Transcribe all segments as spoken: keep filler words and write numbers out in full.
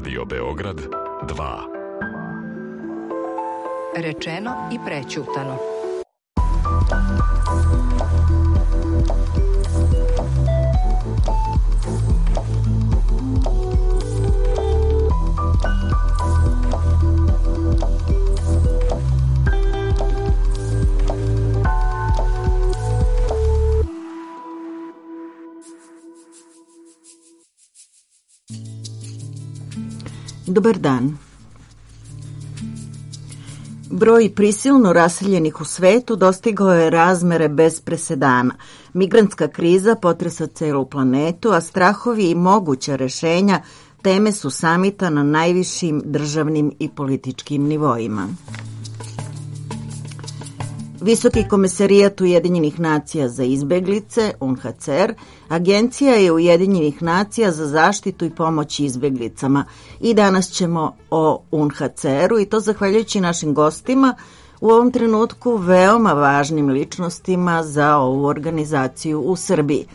Radio Beograd dva. Rečeno i prećutano. Dobar dan. Broj prisilno raseljenih u svetu dostigao je razmere bez presedana. Migrantska kriza potresa celu planetu, a strahovi i moguća rešenja teme su samita na najvišim državnim i političkim nivoima. Visoki komesarijat Ujedinjenih nacija za izbeglice, U N H C R, agencija je Ujedinjenih nacija za zaštitu i pomoć izbeglicama. I danas ćemo o U N H C R-u i to zahvaljujući našim gostima, u ovom trenutku veoma važnim ličnostima za ovu organizaciju u Srbiji.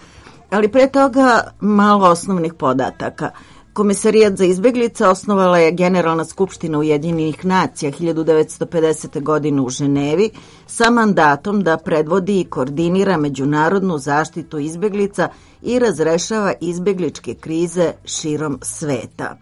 Ali pre toga malo osnovnih podataka. Komesarijat za izbeglice osnovala je Generalna skupština Ujedinjenih nacija hiljadu devetsto pedesete. godine u Ženevi sa mandatom da predvodi i koordinira međunarodnu zaštitu izbeglica i razrešava izbegličke krize širom sveta.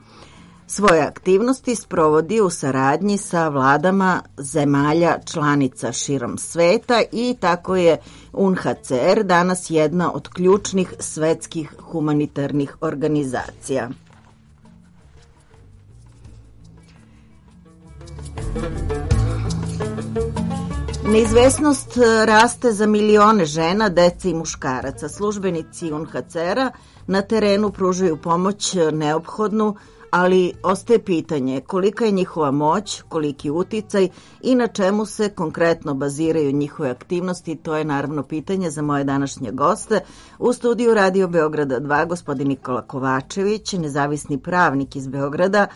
Svoje aktivnosti sprovodi u saradnji sa vladama zemalja članica širom sveta i tako je U N H C R danas jedna od ključnih svetskih humanitarnih organizacija. Neizvesnost raste za milione žena, dece i muškaraca. Službenici U N H C R-a na terenu pružaju pomoć neophodnu, ali ostaje pitanje kolika je njihova moć, koliki uticaj i na čemu se konkretno baziraju njihove aktivnosti. To je naravno pitanje za moje današnje goste. U studiju Radio Beograda dva gospodin Nikola Kovačević, nezavisni pravnik iz Beograda,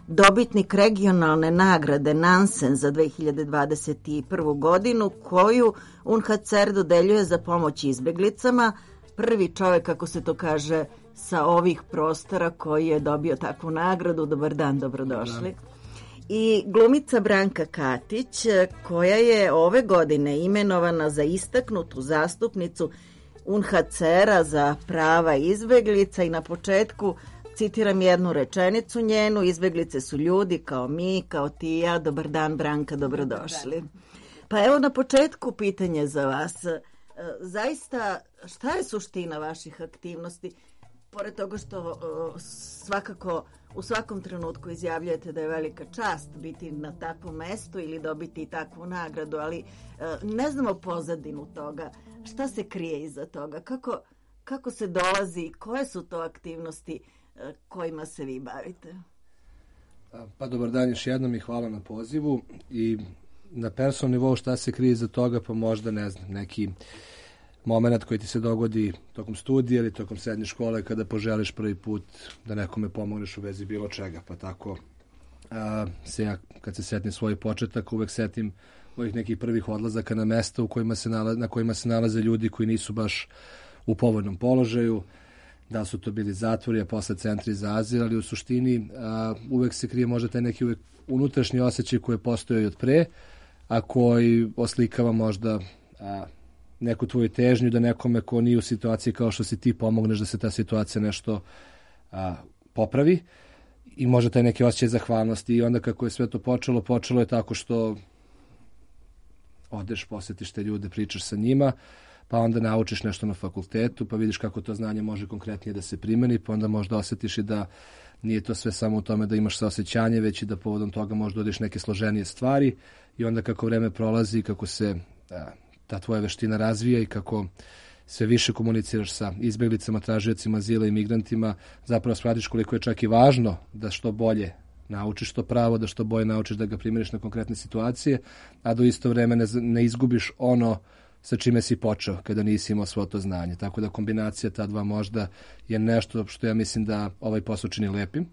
dobitnik regionalne nagrade Nansen za dve hiljade dvadeset prvu. godinu, koju U N H C R dodeljuje za pomoć izbeglicama. Prvi čovek, kako se to kaže, sa ovih prostora koji je dobio takvu nagradu. Dobar dan, dobrodošli. I glumica Branka Katić, koja je ove godine imenovana za istaknutu zastupnicu U N H C R-a za prava izbeglica i na početku citiram jednu rečenicu njenu: izbeglice su ljudi kao mi, kao ti i ja. Dobar dan, Branka, dobrodošli. Pa evo na početku pitanje za vas. Zaista, šta je suština vaših aktivnosti? Pored toga što svakako u svakom trenutku izjavljujete da je velika čast biti na takvom mestu ili dobiti takvu nagradu, ali ne znamo pozadinu toga. Šta se krije iza toga? Kako, kako se dolazi? Koje su to aktivnosti kojima se vi bavite? Pa dobar dan još jednom i hvala na pozivu. I na personalnom nivou šta se krije iza toga, pa možda ne znam, neki moment koji ti se dogodi tokom studija ili tokom srednje škole kada poželiš prvi put da nekome pomogneš u vezi bilo čega. Pa tako a, se ja kad se setim svoj početak uvek setim ovih nekih prvih odlazaka na mesta u kojima se nalaze, na kojima se nalaze ljudi koji nisu baš u povoljnom položaju, da su to bili zatvori, a posle centri za azil, ali u suštini a, uvek se krije možda taj neki uvek unutrašnji osjećaj koji postoji od pre, a koji oslikava možda a, neku tvoju težnju da nekome ko nije u situaciji kao što si ti pomogneš da se ta situacija nešto a, popravi i možda taj neki osjećaj zahvalnosti. I onda kako je sve to počelo, počelo je tako što odeš, posetiš te ljude, pričaš sa njima, pa onda naučiš nešto na fakultetu, pa vidiš kako to znanje može konkretnije da se primeni, pa onda možda osjetiš i da nije to sve samo u tome da imaš saosećanje, već i da povodom toga možda odeš neke složenije stvari i onda kako vreme prolazi, kako se a, ta tvoja veština razvija i kako sve više komuniciraš sa izbeglicama, tražiocima azila i migrantima, zapravo shvatiš koliko je čak i važno da što bolje naučiš to pravo, da što bolje naučiš da ga primjeriš na konkretne situacije, a do isto vreme ne, ne izgubiš ono sa čime si počeo kada nisi imao svo to znanje. Tako da kombinacija ta dva možda je nešto što ja mislim da ovaj posao čini lepim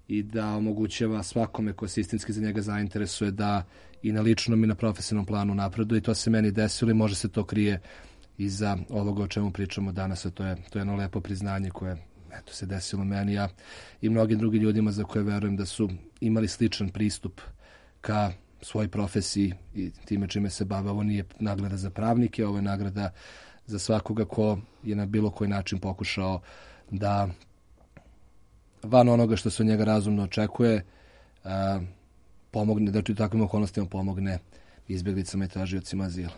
i da omogućava svakome ko se istinski za njega zainteresuje da i na ličnom i na profesionalnom planu napreduje. I to se meni desilo i može se to krije iza ovoga o čemu pričamo danas, a to je, to je jedno lepo priznanje koje eto, se desilo meni, a i mnogim drugim ljudima za koje verujem da su imali sličan pristup ka svojoj profesiji i time čime se bave. Ovo nije nagrada za pravnike, ovo je nagrada za svakoga ko je na bilo koji način pokušao da van onoga što se od njega razumno očekuje, a, pomogne, da u takvim okolnostima pomogne izbjeglicama i tražiocima azila.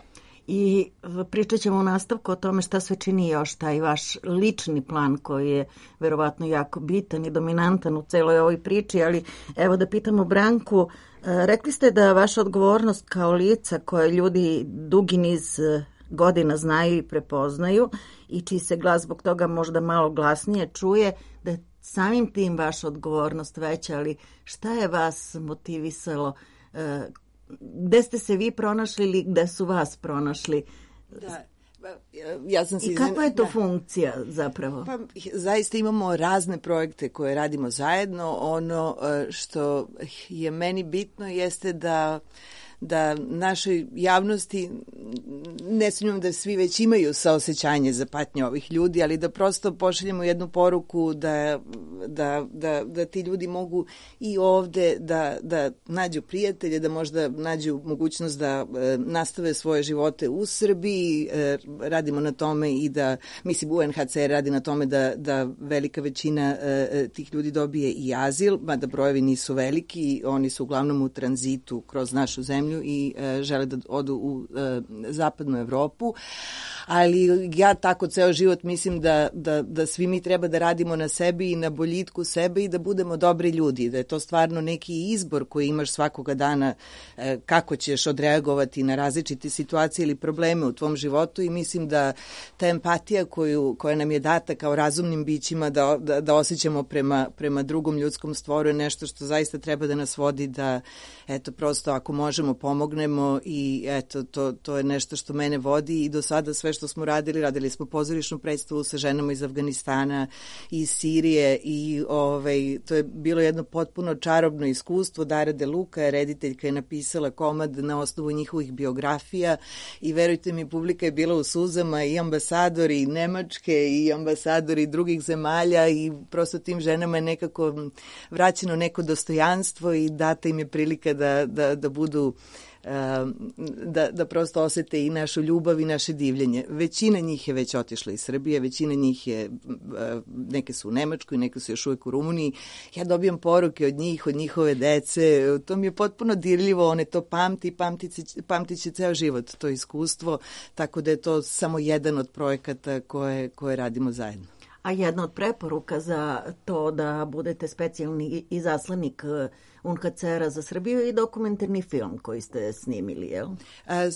I pričat ćemo u nastavku o tome šta sve čini još taj vaš lični plan koji je verovatno jako bitan i dominantan u celoj ovoj priči, ali evo da pitamo Branku, rekli ste da vaša odgovornost kao lica koje ljudi dugi niz godina znaju i prepoznaju i čiji se glas zbog toga možda malo glasnije čuje, da je samim tim vaša odgovornost veća, ali šta je vas motivisalo? Gde ste se vi pronašli ili gde su vas pronašli? Da. Ja sam I kakva je to da. funkcija zapravo? Pa, zaista imamo razne projekte koje radimo zajedno. Ono što je meni bitno jeste da da našoj javnosti, ne sumnjam da svi već imaju saosećanje za patnje ovih ljudi, ali da prosto pošaljemo jednu poruku da, da, da, da ti ljudi mogu i ovde da, da nađu prijatelje, da možda nađu mogućnost da e, nastave svoje živote u Srbiji. E, radimo na tome i da, mislim, U N H C R radi na tome da, da velika većina e, tih ljudi dobije i azil, mada brojevi nisu veliki, oni su uglavnom u tranzitu kroz našu zemlju i e, žele da odu u e, zapadnu Evropu, ali ja tako ceo život mislim da, da, da svi mi treba da radimo na sebi i na boljitku sebe i da budemo dobri ljudi, da je to stvarno neki izbor koji imaš svakoga dana e, kako ćeš odreagovati na različite situacije ili probleme u tvom životu i mislim da ta empatija koju, koja nam je data kao razumnim bićima da, da, da osjećamo prema, prema drugom ljudskom stvoru je nešto što zaista treba da nas vodi da, eto, prosto ako možemo pomognemo i eto, to, to je nešto što mene vodi i do sada sve što smo radili, radili smo pozorišnu predstavu sa ženama iz Afganistana i iz Sirije i ovaj, to je bilo jedno potpuno čarobno iskustvo. Dara De Luca je rediteljka, je napisala komad na osnovu njihovih biografija i verujte mi, publika je bila u suzama i ambasadori Nemačke i ambasadori drugih zemalja i prosto tim ženama je nekako vraćeno neko dostojanstvo i data im je prilika da, da, da budu Da, da prosto osete i našu ljubav i naše divljenje. Većina njih je već otišla iz Srbije, većina njih je, neke su u Nemačkoj, neke su još uvijek u Rumuniji. Ja dobijam poruke od njih, od njihove dece, to mi je potpuno dirljivo, one to pamti, pamtit će ceo život, to iskustvo, tako da je to samo jedan od projekata koje, koje radimo zajedno. A jedna od preporuka za to da budete specijalni izaslanik U N H C R-a za Srbiju i dokumentarni film koji ste snimili, jel? A,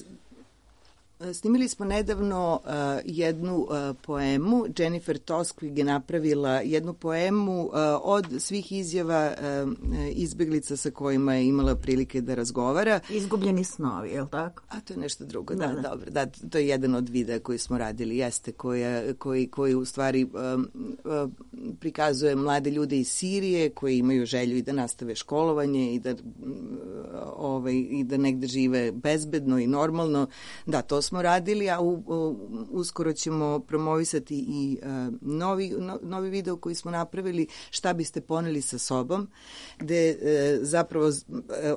snimili smo nedavno uh, jednu uh, poemu. Jennifer Toskvig je napravila jednu poemu uh, od svih izjava uh, izbeglica sa kojima je imala prilike da razgovara. Izgubljeni snovi, je li tako? A to je nešto drugo, da, da, da. Dobro. Da, to je jedan od videa koji smo radili, jeste, koja, koji, koji u stvari um, uh, prikazuje mlade ljude iz Sirije koji imaju želju i da nastave školovanje i da, uh, ovaj, i da negde žive bezbedno i normalno. Da, to smo radili, a u, u, uskoro ćemo promovisati i uh, novi, no, novi video koji smo napravili, šta biste poneli sa sobom, gde uh, zapravo uh,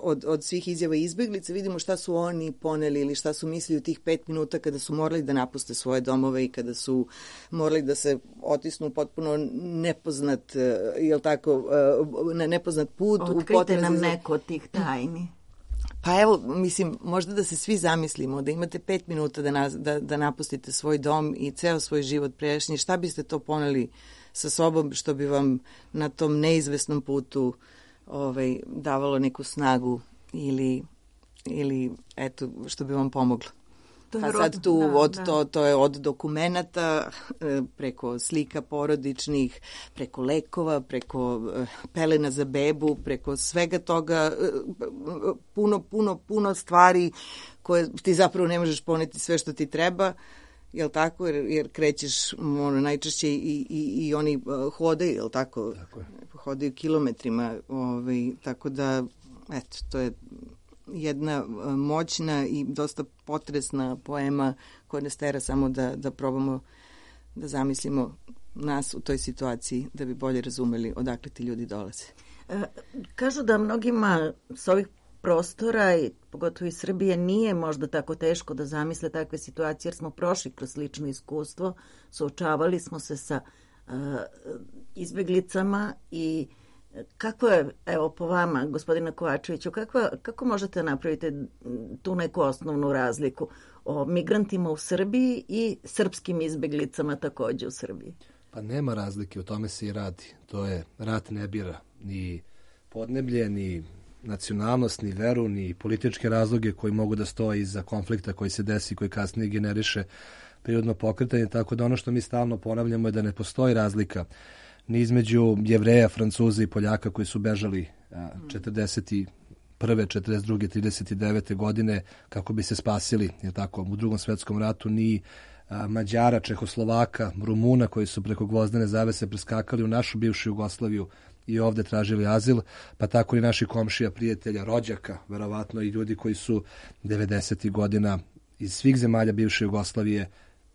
od, od svih izjava izbeglica vidimo šta su oni poneli ili šta su mislili u tih pet minuta kada su morali da napuste svoje domove i kada su morali da se otisnu potpuno nepoznat, uh, jel tako, uh, na nepoznat put. Otkrite nam neko od tih tajni. Pa evo, mislim, možda da se svi zamislimo, da imate pet minuta da, na, da, da napustite svoj dom i ceo svoj život prešnji, šta biste to poneli sa sobom što bi vam na tom neizvesnom putu ovaj, davalo neku snagu ili, ili eto, što bi vam pomoglo? Pa sad tu da, od, da. To, to je od dokumenata, preko slika porodičnih, preko lekova, preko pelena za bebu, preko svega toga, puno, puno, puno stvari koje ti zapravo ne možeš poneti sve što ti treba, jel tako, jer, jer krećeš ono, najčešće i, i, i oni hodaju, jel tako, tako je. Hodaju kilometrima, ovaj, tako da, eto, to je jedna moćna i dosta potresna poema koja nas tera samo da, da probamo da zamislimo nas u toj situaciji da bi bolje razumeli odakle ti ljudi dolaze. E, kažu da mnogima s ovih prostora i pogotovo iz Srbije nije možda tako teško da zamisle takve situacije jer smo prošli kroz slično iskustvo, suočavali smo se sa uh, izbeglicama i kako je, evo po vama, gospodina Kovačeviću, kakva, kako možete napraviti tu neku osnovnu razliku o migrantima u Srbiji i srpskim izbeglicama takođe u Srbiji? Pa nema razlike, o tome se i radi. To je, rat ne bira ni podneblje, ni nacionalnost, ni veru, ni političke razloge koji mogu da stoje iza konflikta koji se desi, koji kasnije generiše prirodno pokretanje, tako da ono što mi stalno ponavljamo je da ne postoji razlika ni između Jevreja, Francuza i Poljaka koji su bežali a, četrdeset prve, četrdeset druge, trideset devete godine kako bi se spasili, je tako, u Drugom svetskom ratu, ni a, Mađara, Čehoslovaka, Rumuna koji su preko gvozdene zavese preskakali u našu bivšu Jugoslaviju i ovde tražili azil, pa tako i naši komšija, prijatelja, rođaka, verovatno i ljudi koji su devedesetih godina iz svih zemalja bivše Jugoslavije,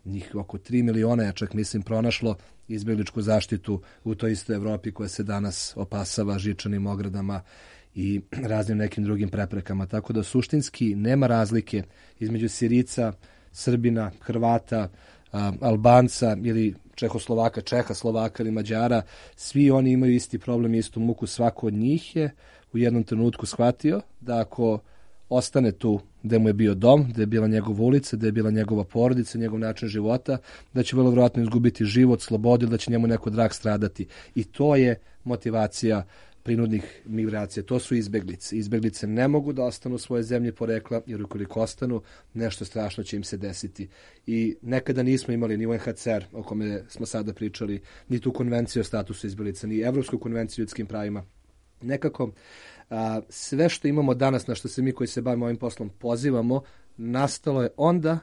njih oko tri miliona, ja čak mislim, pronašlo izbjegličku zaštitu u toj istoj Evropi koja se danas opasava žičanim ogradama i raznim nekim drugim preprekama. Tako da suštinski nema razlike između Sirica, Srbina, Hrvata, a, Albanca ili Čehoslovaka, Čeha, Slovaka ili Mađara. Svi oni imaju isti problem, istu muku. Svako od njih je u jednom trenutku shvatio da ako ostane tu gde mu je bio dom, gde je bila njegova ulica, gde je bila njegova porodica, njegov način života, da će vrlo vjerojatno izgubiti život, slobodu, da će njemu neko drag stradati. I to je motivacija prinudnih migracija. To su izbeglice. Izbeglice ne mogu da ostanu u svoje zemlje porekla, jer ukoliko ostanu, nešto strašno će im se desiti. I nekada nismo imali ni U N H C R, o kome smo sada pričali, ni tu konvenciju o statusu izbeglica, ni Evropsku konvenciju o ljudskim pravima. Nekako, a, sve što imamo danas, na što se mi koji se bavimo ovim poslom pozivamo, nastalo je onda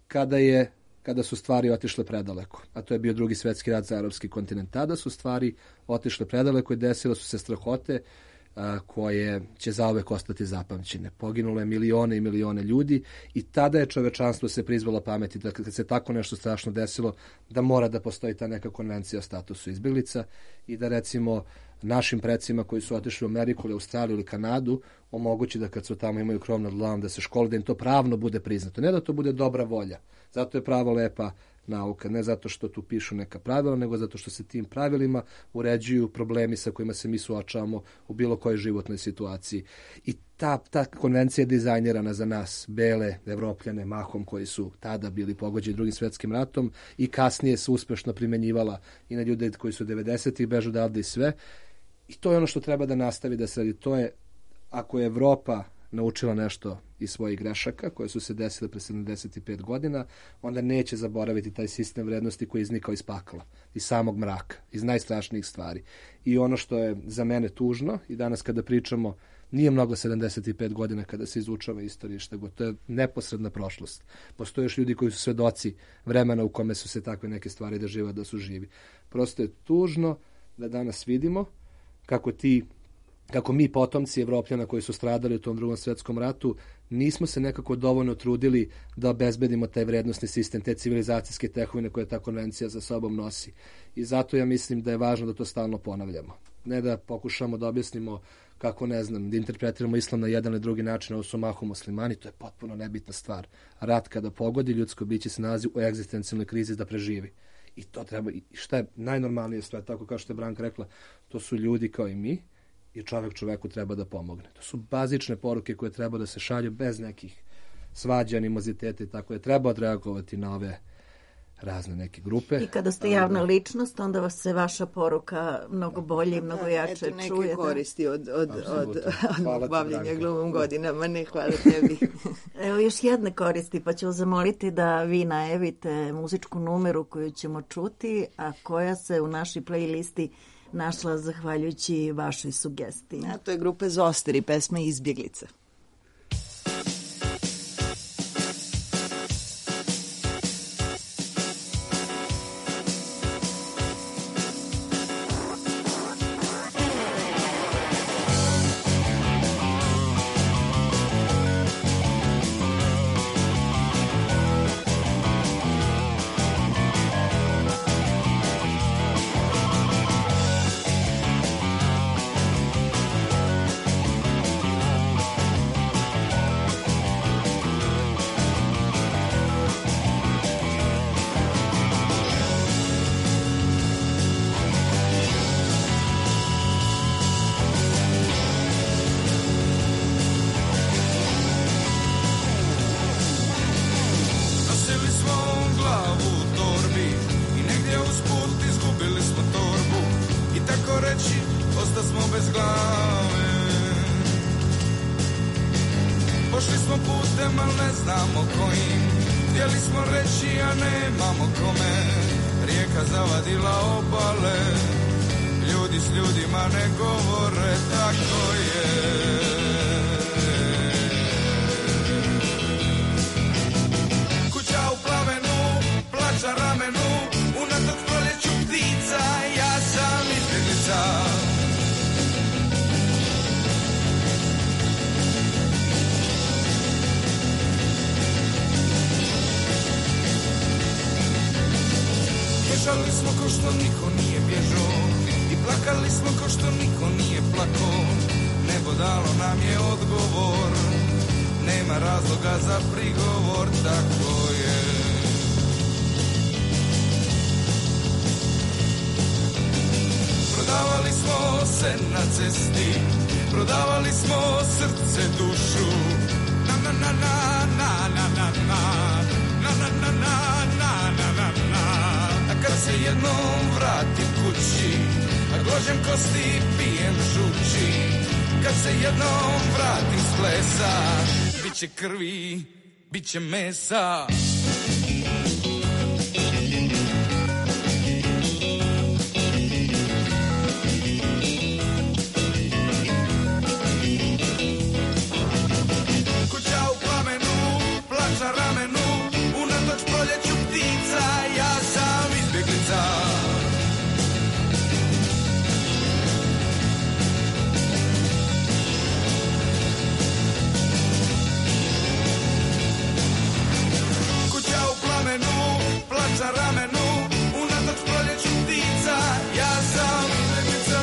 kada je kada su stvari otišle predaleko. A to je bio drugi svetski rat za evropski kontinent. Tada su stvari otišle predaleko i desile su se strahote a, koje će zauvek ostati zapamćene. Poginulo je milione i milione ljudi i tada je čovečanstvo se prizvalo pameti da kad se tako nešto strašno desilo, da mora da postoji ta neka konvencija o statusu izbeglica i da recimo našim precima koji su otišli u Ameriku ili Australiju ili Kanadu omogući da kad su tamo imaju krov nad glavom da se škole, da im to pravno bude priznato. Ne da to bude dobra volja. Zato je pravo lepa nauka. Ne zato što tu pišu neka pravila, nego zato što se tim pravilima uređuju problemi sa kojima se mi suočavamo u bilo kojoj životnoj situaciji. I ta, ta konvencija je dizajnirana za nas, bele Evropljane, mahom koji su tada bili pogođeni Drugim svetskim ratom i kasnije se uspešno primenjivala i na ljude koji su devedesetih bežu odavde i sve. I to je ono što treba da nastavi da se radi. To je, ako je Evropa naučila nešto iz svojih grešaka koje su se desile pre sedamdeset pet godina, onda neće zaboraviti taj sistem vrednosti koji je iznikao iz pakla, iz samog mraka, iz najstrašnijih stvari. I ono što je za mene tužno, i danas kada pričamo, nije mnogo sedamdeset pet godina kada se izučava istorija, šta god, to je neposredna prošlost. Postoje još ljudi koji su svedoci vremena u kome su se takve neke stvari da žive, da su živi. Prosto je tužno da danas vidimo kako ti kako mi potomci Evropljana koji su stradali u tom Drugom svetskom ratu nismo se nekako dovoljno trudili da obezbedimo taj vrednosni sistem, te civilizacijske tekovine koje ta konvencija za sobom nosi. I zato ja mislim da je važno da to stalno ponavljamo. Ne da pokušamo da objasnimo kako, ne znam, da interpretiramo islam na jedan ili drugi način, ovo su mahom muslimani, to je potpuno nebitna stvar. Rat kada pogodi, ljudsko biće se nalazi u egzistencijalnoj krizi da preživi. I to treba, i šta je najnormalnije stvar, tako kao što je Branka rekla, to su ljudi kao i mi, i čovjek čoveku treba da pomogne. To su bazične poruke koje treba da se šalju bez nekih svađa, animoziteta i tako je. Treba odreagovati na ove razne neke grupe. I kada ste javna ličnost, onda vas se vaša poruka mnogo bolje i mnogo jače čuje. Eto neke koristi od, od, od, od bavljenja glumom da. Godinama. Ne, hvala tebi. Evo još jedne koristi, pa ću vas zamoliti da vi najavite muzičku numeru koju ćemo čuti, a koja se u našoj playlisti našla zahvaljujući vašoj sugestiji. A to je grupe Zoster i pesma Izbjeglica. reći, osta smo bez glave. Pošli smo putem, al ne znamo kojim. Htjeli smo reći, a nemamo kome. Rijeka zavadila obale. Ljudi s ljudima ne govore, tako je. Kuća u plamenu, plaća ramenu. Unatok proljeću ptica, ja sam izbjeglica. Bježali smo ko što niko nije bježao i plakali smo ko što niko nije plakao. Nebo dalo nam je odgovor, nema razloga za prigovor, tako je. Prodavali smo se na cesti, prodavali smo srce, dušu. Na na na na na na na na na na na na na na na. A kad se jednom vratim kući, a gložem kosti, pijem žući. Kad se jednom vratim s plesa, bit će krvi, bit će mesa. Kuća u plamenu, plaća ramenu, unatoč proljeću ptica, ja sam izbjeglica. Kuća u plamenu, plaća ramenu, unatoč proljeću ptica, ja sam izbjeglica.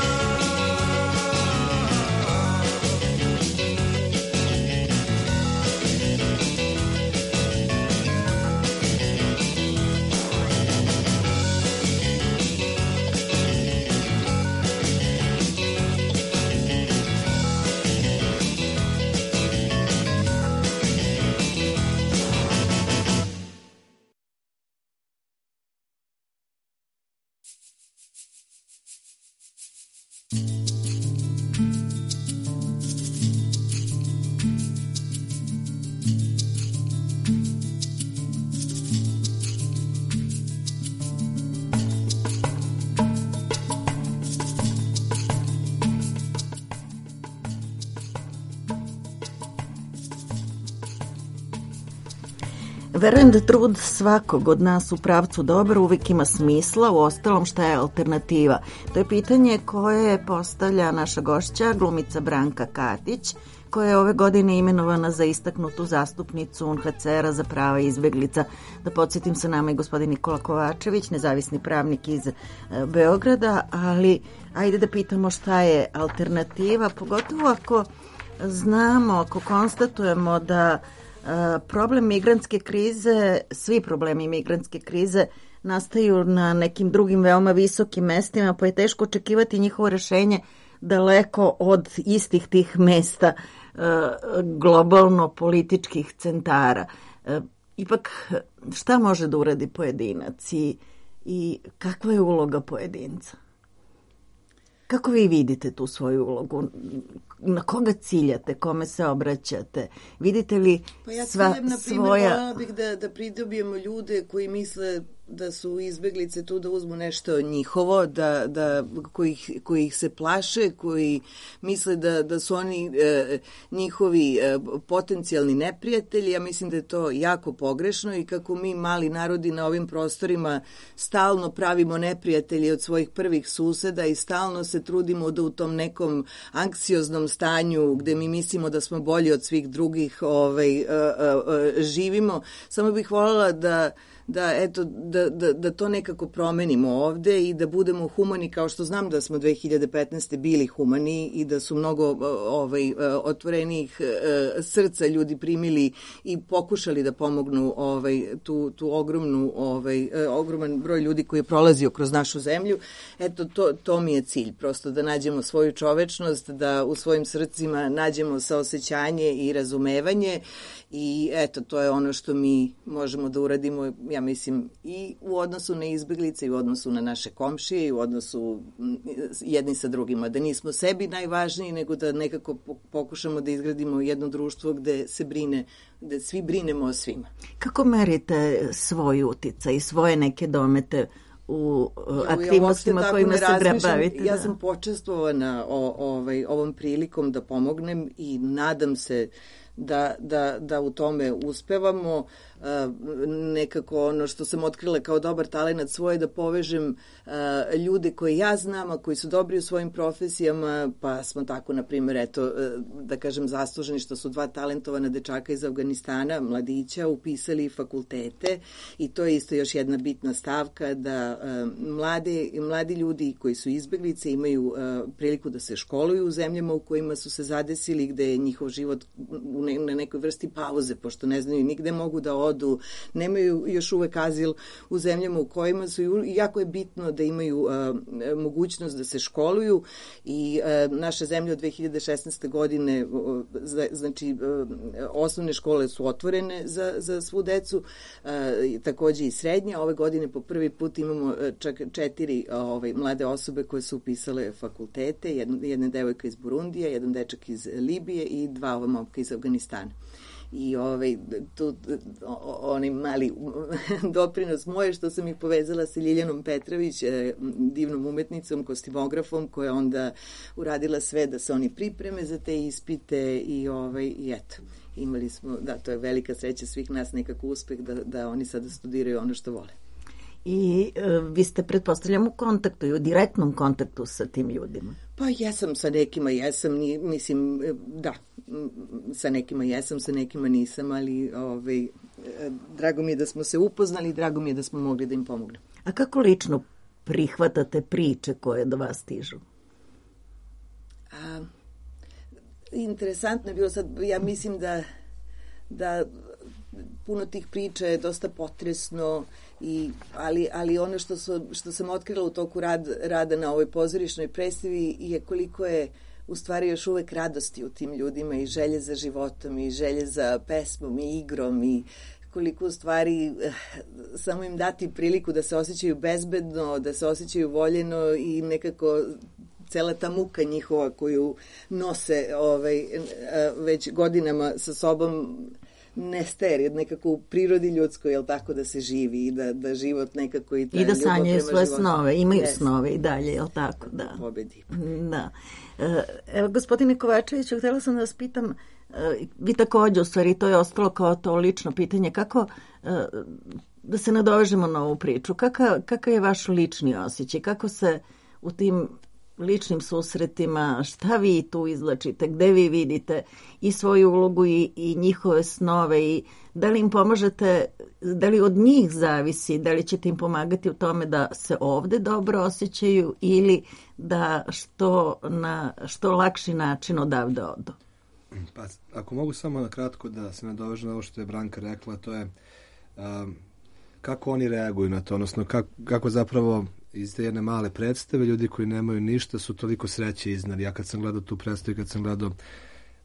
Verujem da trud svakog od nas u pravcu dobra uvijek ima smisla, u ostalom šta je alternativa. To je pitanje koje postavlja naša gošća, glumica Branka Katić, koja je ove godine imenovana za istaknutu zastupnicu U N H C R-a za prava izbjeglica. Da podsjetim, sa nama i gospodin Nikola Kovačević, nezavisni pravnik iz Beograda, ali ajde da pitamo šta je alternativa, pogotovo ako znamo, ako konstatujemo da problem migrantske krize, svi problemi migrantske krize nastaju na nekim drugim veoma visokim mestima, pa je teško očekivati njihovo rešenje daleko od istih tih mesta globalno političkih centara. Ipak, šta može da uradi pojedinac i, i kakva je uloga pojedinca? Kako vi vidite tu svoju ulogu? Na koga ciljate? Kome se obraćate? Vidite li pa ja sva ciljem, na primjer, svoja... voljela bih da, da pridobijemo ljude koji misle da su izbjeglice tu da uzmu nešto njihovo, da, da, koji, koji ih se plaše, koji misle da, da su oni e, njihovi e, potencijalni neprijatelji. Ja mislim da je to jako pogrešno i kako mi mali narodi na ovim prostorima stalno pravimo neprijatelji od svojih prvih suseda i stalno se trudimo da u tom nekom anksioznom stanju gde mi mislimo da smo bolji od svih drugih ovaj, e, e, živimo. Samo bih voljela da da eto da, da, da to nekako promenimo ovde i da budemo humani, kao što znam da smo dve hiljade petnaeste bili humani i da su mnogo ovaj otvorenih srca ljudi primili i pokušali da pomognu ovaj tu tu ogromnu ovaj ogroman broj ljudi koji je prolazio kroz našu zemlju. Eto to to mi je cilj, prosto da nađemo svoju čovečnost, da u svojim srcima nađemo saosećanje i razumevanje i eto to je ono što mi možemo da uradimo. ja mislim, i u odnosu na izbeglice, i u odnosu na naše komšije, i u odnosu jedni sa drugima. Da nismo sebi najvažniji, nego da nekako pokušamo da izgradimo jedno društvo gde se brine, gde svi brinemo o svima. Kako merite svoj uticaj i svoje neke domete u aktivnostima ja kojima se bavite? Ja sam počestvovana o, ovaj, ovom prilikom da pomognem i nadam se da, da, da u tome uspevamo. Nekako ono što sam otkrila kao dobar talenat svoje, da povežem ljude koje ja znam, a koji su dobri u svojim profesijama, pa smo tako, na primjer, eto, da kažem, zasluženi što su dva talentovana dečaka iz Afganistana, mladića, upisali fakultete, i to je isto još jedna bitna stavka, da mlade, mladi ljudi koji su izbeglice imaju priliku da se školuju u zemljama u kojima su se zadesili, gde je njihov život na nekoj vrsti pauze, pošto ne znaju nigde mogu da odu, nemaju još uvek azil u zemljama u kojima su, i jako je bitno da imaju uh, mogućnost da se školuju, i uh, naša zemlja od dve hiljade šesnaeste. godine, uh, znači uh, osnovne škole su otvorene za, za svu decu, uh, takođe i srednje. Ove godine po prvi put imamo uh, čak četiri uh, ovaj, mlade osobe koje su upisale fakultete, jedna, jedna devojka iz Burundija, jedan dečak iz Libije i dva ova momka iz Afganistana. I ovaj, tu, onaj mali doprinos moje, što sam ih povezala sa Ljiljanom Petrović, divnom umetnicom, kostimografom, koja onda uradila sve da se oni pripreme za te ispite, i, ovaj, i eto, imali smo, da, to je velika sreća svih nas, nekako uspeh da, da oni sada studiraju ono što vole. I e, vi ste, pretpostavljam, u kontaktu i u direktnom kontaktu sa tim ljudima. Pa jesam, sa nekima jesam, ni, mislim, da, sa nekima jesam, sa nekima nisam, ali ovaj, drago mi je da smo se upoznali i drago mi je da smo mogli da im pomognemo. A kako lično prihvatate priče koje do vas stižu? A, interesantno je bilo sad, ja mislim da, da puno tih priča je dosta potresno, i, ali, ali ono što, su, što sam otkrila u toku rad, rada na ovoj pozorišnoj predstavi je koliko je u stvari još uvek radosti u tim ljudima, i želje za životom, i želje za pesmom i igrom, i koliko u stvari eh, samo im dati priliku da se osjećaju bezbedno, da se osjećaju voljeno, i nekako cela ta muka njihova koju nose ovaj, već godinama sa sobom nestaje, jer nekako u prirodi ljudskoj, jel tako, da se živi i da, da život nekako i ta I da sanjaju svoje životu. snove, imaju yes. snove i dalje, jel tako, da. Pobedi. Da. Evo, gospodine Kovačeviću, htjela sam da vas pitam, vi takođe, u stvari, to je ostalo kao to lično pitanje, kako, da se nadovežemo na ovu priču, kakav, kakav je vaš lični osjećaj, kako se u tim ličnim susretima, šta vi tu izlačite, gde vi vidite i svoju ulogu i, i njihove snove, i da li im pomažete, da li od njih zavisi, da li ćete im pomagati u tome da se ovde dobro osjećaju, ili da što na što lakši način odavde odu? Pa, ako mogu samo na kratko da se nadovežem na ovo što je Branka rekla, to je um, kako oni reaguju na to, odnosno kako, kako zapravo iz te jedne male predstave ljudi koji nemaju ništa su toliko sreće iznali. Ja kad sam gledao tu predstavu, kad sam gledao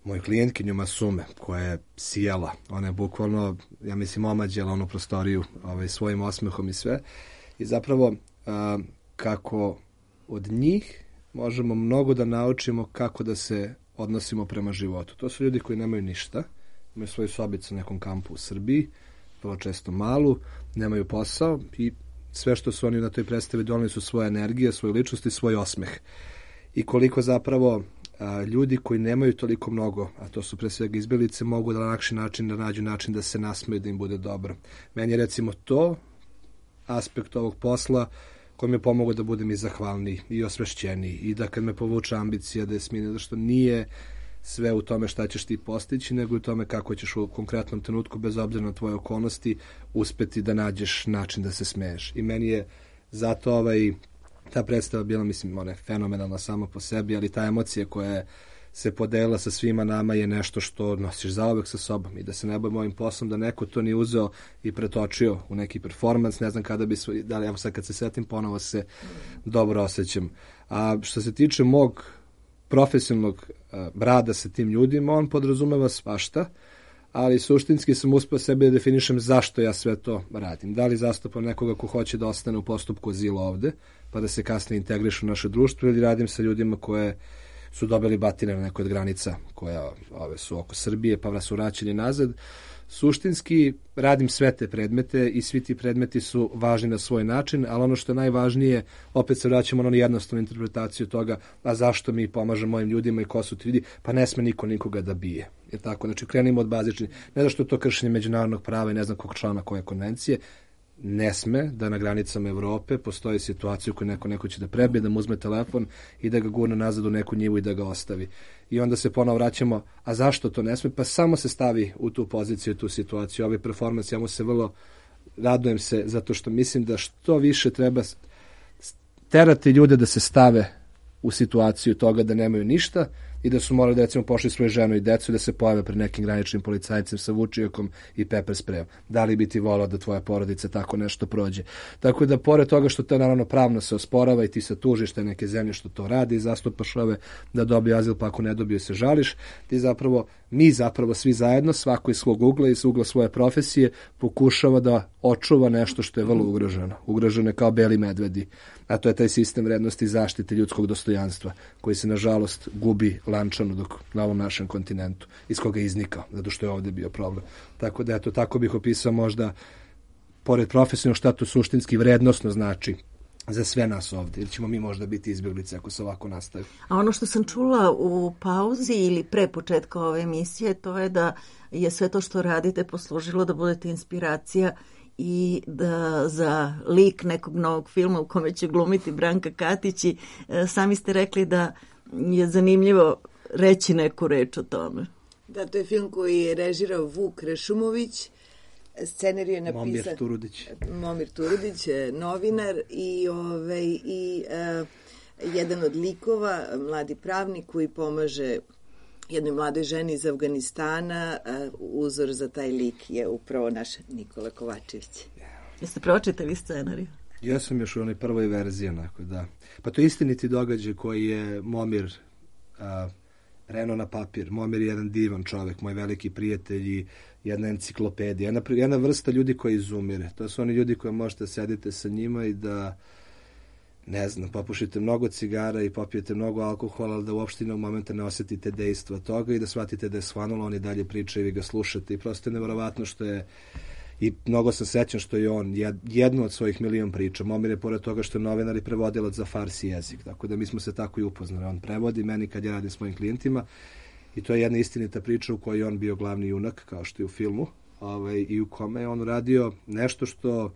moju klijentkinju Masume, koja je sijala, ona je bukvalno, ja mislim, omađela onu prostoriju ovaj, svojim osmehom i sve, i zapravo a, kako od njih možemo mnogo da naučimo kako da se odnosimo prema životu. To su ljudi koji nemaju ništa, imaju svoju sobicu na nekom kampu u Srbiji, vrlo često malu, nemaju posao, i sve što su oni na toj predstavi doneli su svoje energije, svoju ličnost i svoj osmeh. I koliko zapravo a, ljudi koji nemaju toliko mnogo, a to su pre svega izbjeglice, mogu da na lakši način da nađu način da se nasmeju, da im bude dobro. Meni je recimo to aspekt ovog posla koji mi je pomogao da budem i zahvalniji i osvešćeniji, i da kad me povuče ambicija da je smine, zašto nije sve u tome šta ćeš ti postići, nego u tome kako ćeš u konkretnom trenutku, bez obzira na tvoje okolnosti, uspeti da nađeš način da se smeješ. I meni je zato ovaj, ta predstava bila, mislim, ona je fenomenalna sama po sebi, ali ta emocija koja se podelila sa svima nama je nešto što nosiš zauvek sa sobom, i da se ne bojim ovim poslom da neko to nije uzeo i pretočio u neki performans, ne znam kada bi svoj, da li, evo sad kad se setim, ponovo se dobro osjećam. A što se tiče mog profesionalnog uh, rada sa tim ljudima, on podrazumeva svašta, ali suštinski sam uspio sebe da definišem zašto ja sve to radim. Da li zastupam nekoga ko hoće da ostane u postupku azila ovde, pa da se kasnije integrišu u naše društvo, ili radim sa ljudima koje su dobili batine na nekoj od granica koja ove su oko Srbije, pa su vraćeni nazad. Suštinski radim sve te predmete i svi ti predmeti su važni na svoj način, ali ono što je najvažnije, opet se vraćamo na onu jednostavnu interpretaciju toga, a zašto mi pomažemo mojim ljudima i ko su ti ljudi, pa ne sme niko nikoga da bije. Je tako? Znači, krenimo od bazičnih, ne da što je to kršenje međunarodnog prava i ne znam kog člana koje konvencije, ne sme da na granicama Evrope postoji situacija u kojoj neko neko će da prebije, da mu uzme telefon i da ga gurne nazad u neku njivu i da ga ostavi. I onda se ponovo vraćamo, a zašto to ne sme? Pa samo se stavi u tu poziciju, u tu situaciju. Ovaj performans, ja mu se vrlo radujem se, zato što mislim da što više treba terati ljude da se stave u situaciju toga da nemaju ništa i da su morali da recimo pošli svoju ženu i decu i da se pojave pred nekim graničnim policajcem sa vučijakom i pepper sprejom. Da li bi ti volao da tvoja porodica tako nešto prođe? Tako da pored toga što to naravno pravno se osporava i ti se tužiš te neke zemlje što to radi i zastupaš ove da dobiju azil, pa ako ne dobiju se žališ, ti zapravo, mi zapravo svi zajedno, svako iz svog ugla i iz ugla svoje profesije pokušava da očuva nešto što je vrlo ugroženo. Ugroženo je kao beli medvedi, a to je taj sistem vrednosti zaštite ljudskog dostojanstva koji se nažalost gubi lančano dok na ovom našem kontinentu, iz koga je iznikao, zato što je ovde bio problem. Tako da, eto, tako bih opisao možda, pored profesionalnog, šta to suštinski vrednosno znači za sve nas ovde, ili ćemo mi možda biti izbjeglice ako se ovako nastavi. A ono što sam čula u pauzi ili pre početka ove emisije, to je da je sve to što radite poslužilo da budete inspiracija i da za lik nekog novog filma u kome će glumiti Branka Katić i e, sami ste rekli da je zanimljivo reći neku reč o tome. Da, to je film koji je režirao Vuk Rešumović, scenarij je napisao Momir Turudić. Momir Turudić, novinar i, ovaj, i uh, jedan od likova, mladi pravnik koji pomaže jednoj mladoj ženi iz Afganistana. Uh, uzor za taj lik je upravo naš Nikola Kovačević. Jeste pročitali scenariju? Ja sam još u onoj prvoj verziji, onako, da. Pa to je istiniti događaj koji je Momir a, reno na papir. Momir je jedan divan čovek, moj veliki prijatelj i jedna enciklopedija. Jedna, jedna vrsta ljudi koji izumire. To su oni ljudi koji možete sedite sa njima i da, ne znam, popušite mnogo cigara i popijete mnogo alkohola, ali da uopšte jednog momenta ne osetite dejstva toga i da shvatite da je svanulo, on i dalje priča i vi ga slušate. I prosto je nevjerovatno što je. I mnogo sam sećan što je on jednu od svojih milion priča. Momir je pored toga što je novinar i prevodilac za farsi jezik. Tako da mi smo se tako i upoznali. On prevodi meni kad ja radim s mojim klijentima. I to je jedna istinita priča u kojoj je on bio glavni junak, kao što je u filmu. Ovaj, i u kome je on radio nešto što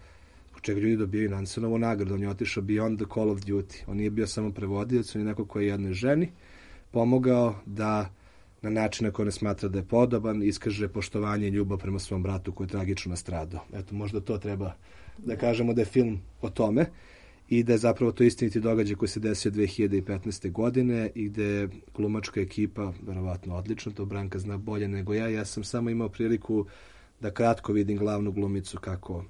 po čega ljudi dobijaju Nansonovu nagradu. On je otišao beyond the call of duty. On nije bio samo prevodilac, on je neko koji je jednoj ženi pomogao da na način na koji ne smatra da je podoban, iskaže poštovanje i ljubav prema svom bratu koji je tragično nastradao. Eto, možda to treba da kažemo da je film o tome i da je zapravo to istiniti događaj koji se desio dve hiljade petnaeste. godine i gde je glumačka ekipa verovatno odlično, to Branka zna bolje nego ja. Ja sam samo imao priliku da kratko vidim glavnu glumicu kako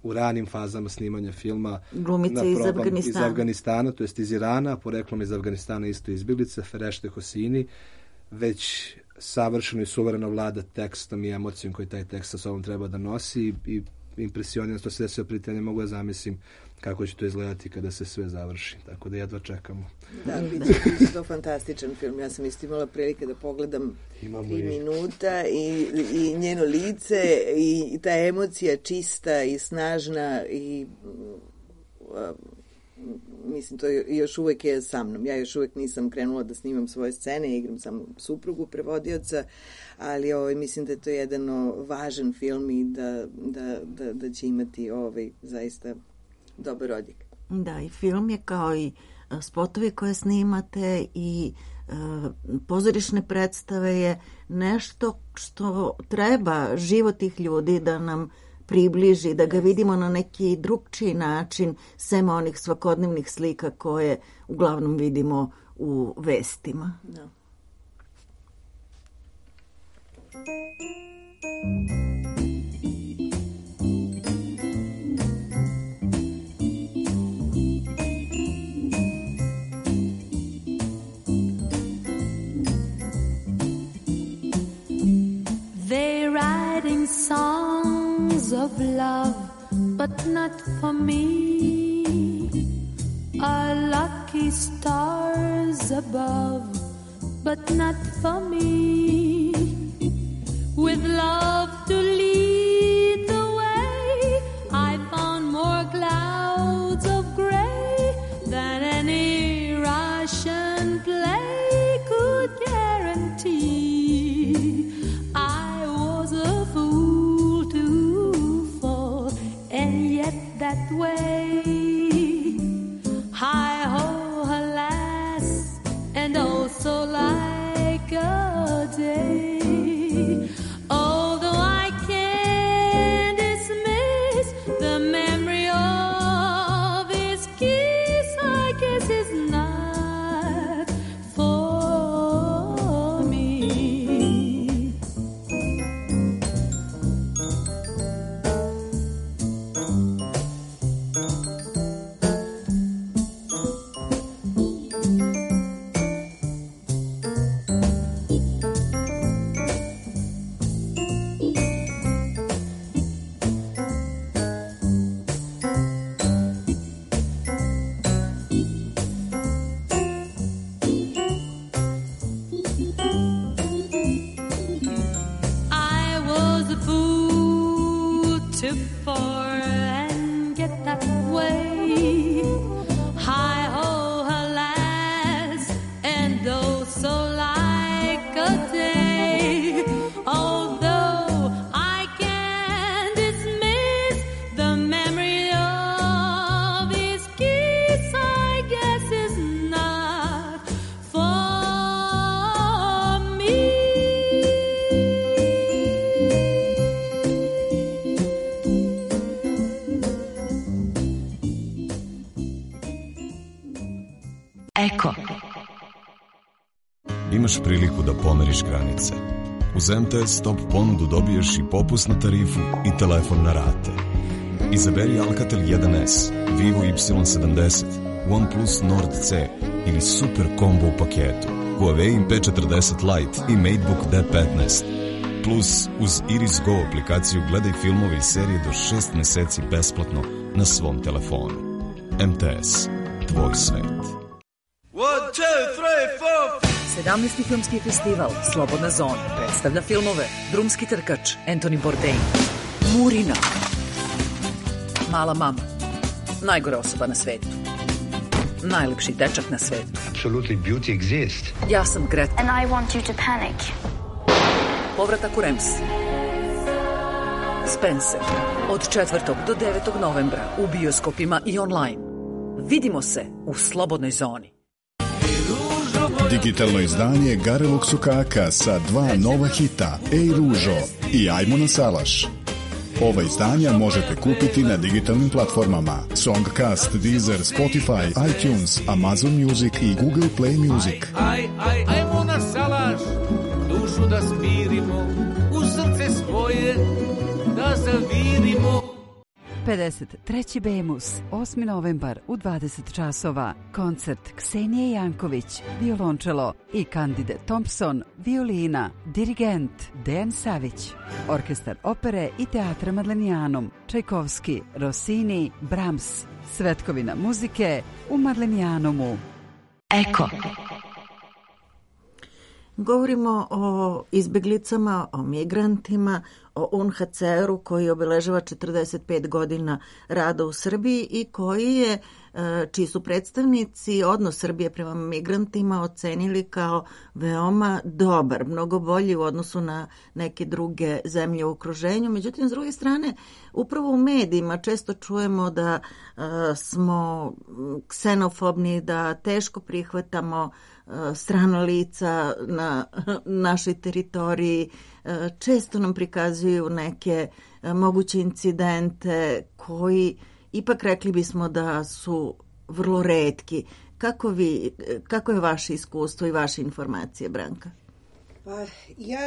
u ranim fazama snimanja filma glumice iz Afganistana. iz Afganistana, to jest iz Irana, poreklom iz Afganistana isto izbjeglica, Ferešte Hosini, već savršeno i suvereno vlada tekstom i emocijom koji taj tekst sa sobom treba da nosi i impresioniran što se desio prije, ne mogu da zamislim kako će to izgledati kada se sve završi. Tako da jedva čekamo. Da, bit će to fantastičan film. Ja sam isto imala prilike da pogledam Imamo tri i... minuta i, i njeno lice i ta emocija čista i snažna i uh, mislim, to još uvek je sa mnom. Ja još uvek nisam krenula da snimam svoje scene, igram samo suprugu prevodioca, ali ovaj, mislim da je to jedan važan film i da, da, da, da će imati ovaj, zaista dobar odjek. Da, i film je kao i spotovi koje snimate i e, pozorišne predstave je nešto što treba život tih ljudi da nam približi, da ga vidimo na neki drugčiji način, sem onih svakodnevnih slika koje uglavnom vidimo u vestima. Da. There writing songs of love, but not for me. Are lucky stars above, but not for me. With love to lead the way, I found more clouds of gray than any Russian play could guarantee. I was a fool to fall, and yet that way. Hi-ho, alas, and also like a day. Although I can't dismiss the memory of his kiss, I guess it's not for me. I was a fool to fall and get that way. Hi-ho, alas, and oh, so like a day. Although I can't dismiss the memory of his kiss, I guess it's not for me. Eko. Imaš priliku da pomeriš granice. Uz em te es Top ponudu dobiješ i popusnu tarifu i telefon na rate. Izaberi Alcatel jedan es, Vivo Y sedamdeset, OnePlus Nord C ili Super Combo u paketu, Huawei P četrdeset Lite i MateBook D petnaest. Plus, uz Iris Go aplikaciju gledaj filmove i serije do šest meseci besplatno na svom telefonu. em te es, tvoj svet. One, two, three, four. sedamnaesti filmski festival Slobodna zona predstavlja filmove Drumski trkač Anthony Bourdain, Murina, Mala mama, Najgora osoba na svetu, Najlepši dečak na svetu, Absolutely beauty exists. Ja sam Greta, And I want you to panic. Povratak u Rems, Spencer, od četvrtog do devetog novembra u bioskopima i online. Vidimo se u Slobodnoj zoni. Digitalno izdanje Garelog Sukaka sa dva nova hita Ej ružo i Ajmo na salaš. Ova izdanja možete kupiti na digitalnim platformama Songcast, Deezer, Spotify, iTunes, Amazon Music i Google Play Music. Aj, aj, ajmo na salaš, dušu da smirimo, u srce svoje da zavirimo. pedeset treći Bemus, osmi novembar u dvadeset časova. Koncert Ksenije Janković, violončelo i Candide Thompson, violina, dirigent Dejan Savić. Orkestar opere i teatra Madlenijanum, Čajkovski, Rossini, Brahms. Svetkovina muzike u Madlenijanumu. Eko. Govorimo o izbeglicama, o migrantima, o U N H C R-u koji obeležava četrdeset pet godina rada u Srbiji i koji je, čiji su predstavnici odnos Srbije prema migrantima ocenili kao veoma dobar, mnogo bolji u odnosu na neke druge zemlje u okruženju. Međutim, s druge strane, upravo u medijima često čujemo da smo ksenofobni, da teško prihvatamo strana lica na našoj teritoriji, često nam prikazuju neke moguće incidente koji ipak rekli bismo da su vrlo retki. Kako vi, kako je vaše iskustvo i vaše informacije, Branka? Pa ja,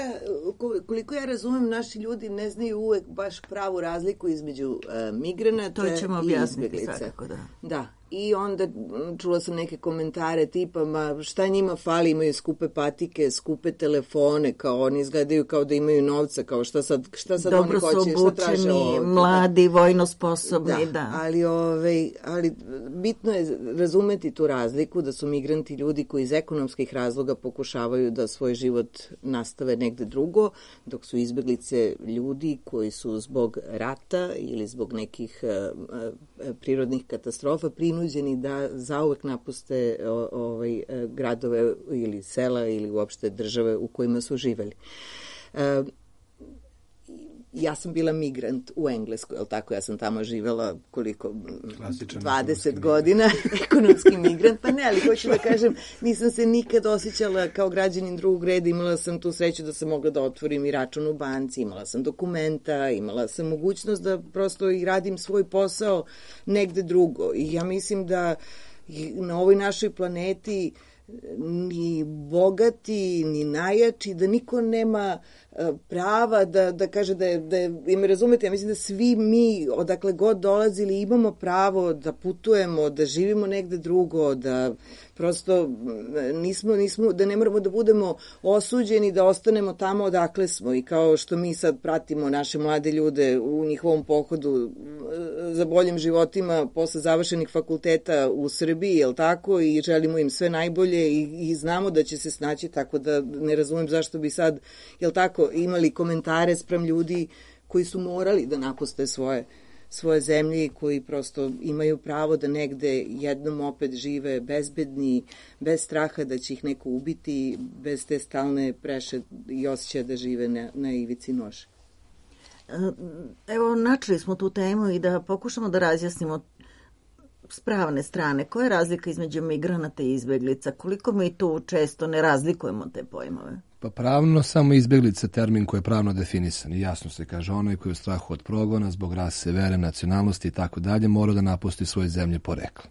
koliko ja razumem, naši ljudi ne znaju uvek baš pravu razliku između uh, migranata to ćemo i objasniti izbjeglica. Svakako, da. Da, I onda čula sam neke komentare tipa, ma šta njima fali, imaju skupe patike, skupe telefone, kao oni izgledaju kao da imaju novca, kao šta sad, šta sad Dobro oni hoće, šta traže ovdje. Dobro su obučeni, mladi, vojno sposobni, da. da. Ali, ovaj, ali bitno je razumeti tu razliku da su migranti ljudi koji iz ekonomskih razloga pokušavaju da svoj život nastave negde drugo, dok su izbeglice ljudi koji su zbog rata ili zbog nekih uh, prirodnih katastrofa prinuđeni da zauvek napuste o, ovaj, gradove ili sela ili uopšte države u kojima su živeli. E, ja sam bila migrant u Engleskoj, je li tako? Ja sam tamo živela koliko? Klasičan dvadeset godina, ekonomski migrant, pa ne, ali hoću da kažem, nisam se nikad osjećala kao građanin drugog reda, imala sam tu sreću da sam mogla da otvorim i račun u banci, imala sam dokumenta, imala sam mogućnost da prosto i radim svoj posao negde drugo. I ja mislim da na ovoj našoj planeti ni bogati, ni najjači, da niko nema prava da, da kaže da je, da je, i me razumete, ja mislim da svi mi, odakle god dolazili, imamo pravo da putujemo, da živimo negde drugo, da prosto nismo, nismo, da ne moramo da budemo osuđeni, da ostanemo tamo odakle smo i kao što mi sad pratimo naše mlade ljude u njihovom pohodu za boljim životima posle završenih fakulteta u Srbiji, jel tako, i želimo im sve najbolje i, i znamo da će se snaći, tako da ne razumem zašto bi sad, jel tako, imali komentare sprem ljudi koji su morali da napuste svoje svoje zemlje i koji prosto imaju pravo da negde jednom opet žive bezbedni, bez straha da će ih neko ubiti, bez te stalne preše i osjećaja da žive na, na ivici nože. Evo, načeli smo tu temu i da pokušamo da razjasnimo s pravne strane. Koja je razlika između migranata i izbeglica? Koliko mi tu često ne razlikujemo te pojmove? Pa pravno samo izbeglica termin koji je pravno definisan i jasno se kaže onaj koji je u strahu od progona zbog rase, vere, nacionalnosti i tako dalje mora da napusti svoje zemlje porekla.